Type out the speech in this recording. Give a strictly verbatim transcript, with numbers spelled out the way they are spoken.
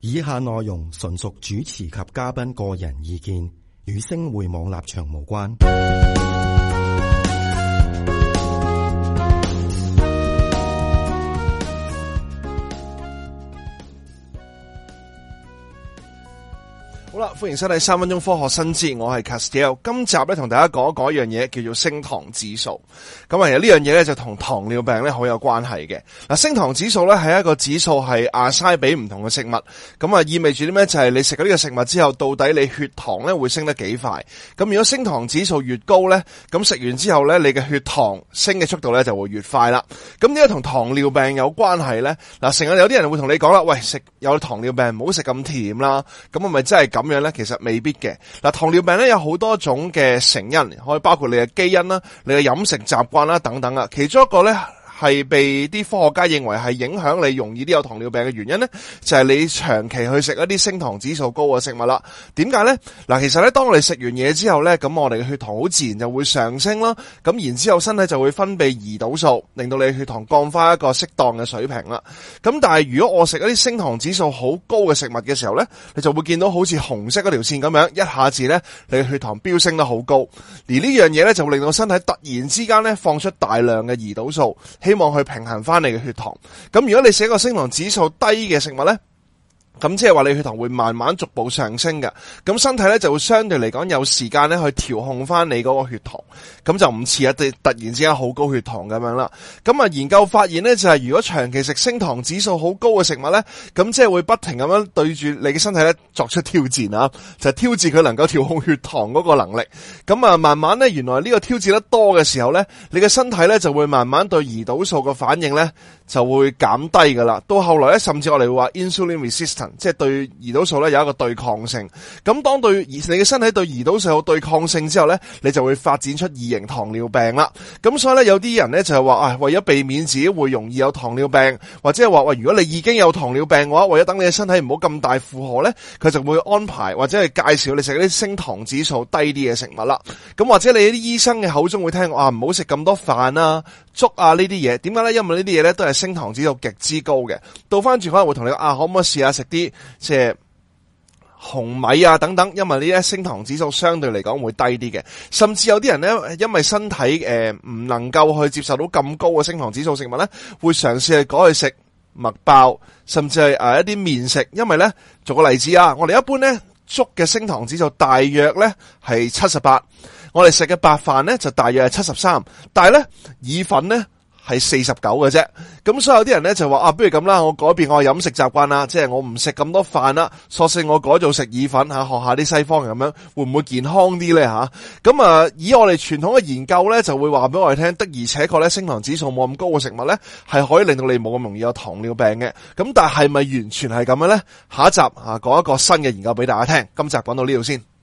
以下內容純屬主持及嘉賓個人意見，與星匯網立場無關。好啦，歡迎收睇三分鐘科學新知，我係 Castiel。今集咧同大家講一講一樣嘢，叫做升糖指數。咁啊，其實呢樣嘢咧就同糖尿病咧好有關係嘅。嗱，升糖指數咧係一個指數，係assign俾唔同嘅食物。咁啊，意味住啲咩？就係你食咗呢個食物之後，到底你血糖咧會升得幾快？咁如果升糖指數越高咧，咁食完之後咧，你嘅血糖升嘅速度咧就會越快啦。咁點解同糖尿病有關係咧？嗱，成日有啲人會同你講啦，喂，食有糖尿病唔好食咁甜啦。咁係咪真係咁樣咧？其實未必嘅。嗱，糖尿病咧有好多種嘅成因，可以包括你嘅基因啦、你嘅飲食習慣啦等等啊。其中一個咧係被啲科學家認為係影響你容易啲有糖尿病嘅原因咧，就係你長期去食一啲升糖指數高嘅食物啦。點解咧？嗱，其實咧，當我哋食完嘢之後咧，咁我哋嘅血糖好自然就會上升啦。咁然之後身體就會分泌胰島素，令到你嘅血糖降翻一個適當嘅水平啦。咁但係如果我食一啲升糖指數好高嘅食物嘅時候咧，你就會見到好似紅色嗰條線咁樣，一下子咧你嘅血糖飆升得好高。而呢樣嘢咧就會令到身體突然之間咧放出大量嘅胰島素，希望去平衡翻你嘅血糖。咁如果你食一個升糖指數低嘅食物咧，咁即係話你血糖會慢慢逐步上升嘅，咁身體咧就會相對嚟講有時間咧去調控翻你嗰個血糖，咁就唔似一啲突然之間好高血糖咁樣啦。咁啊，研究發現咧就係如果長期食升糖指數好高嘅食物咧，咁即係會不停咁樣對住你嘅身體咧作出挑戰啊，就係挑戰佢能夠調控血糖嗰個能力。咁啊，慢慢咧原來呢個挑戰得多嘅時候咧，你嘅身體咧就會慢慢對胰島素嘅反應咧就會減低噶啦。到後來咧，甚至我哋會話 insulin resistant，即係對胰島素咧有一個對抗性。咁當對你嘅身體對胰島素有對抗性之後咧，你就會發展出二型糖尿病啦。咁所以咧，有啲人咧就係話啊，為咗避免自己會容易有糖尿病，或者係話喂，如果你已經有糖尿病嘅話，為咗等你嘅身體唔好咁大負荷咧，佢就會安排或者係介紹你食一啲升糖指數低啲嘅食物啦。咁或者你啲醫生嘅口中會聽啊，唔好食咁多飯啊、粥啊呢啲嘢。點解咧？因為呢啲嘢咧都係升糖指數極之高嘅。倒翻轉可能會同你啊，可唔可以試下食啲即係紅米啊等等，因為呢啲升糖指數相對嚟講會低啲嘅。甚至有啲人咧，因為身體誒唔、呃、能夠去接受到咁高嘅升糖指數食物咧，會嘗試去改去食麥包，甚至係誒一啲麵食。因為咧，做個例子啊，我哋一般咧粥嘅升糖指數大約咧係七十八，我哋食嘅白飯咧就大約係七十三，但係咧意粉咧係四十九嘅啫。咁所以有啲人咧就話啊，不如咁啦，我改變我嘅飲食習慣啦，即係我唔食咁多飯啦，索性我改做食意粉吓，學下啲西方人咁樣，會唔會健康啲咧吓？咁啊，以我哋傳統嘅研究咧，就會話俾我哋聽，的而且確咧，升糖指數冇咁高嘅食物咧，係可以令到你冇咁容易有糖尿病嘅。咁但係咪完全係咁樣咧？下一集啊，講一個新嘅研究俾大家聽。今集講到呢度先。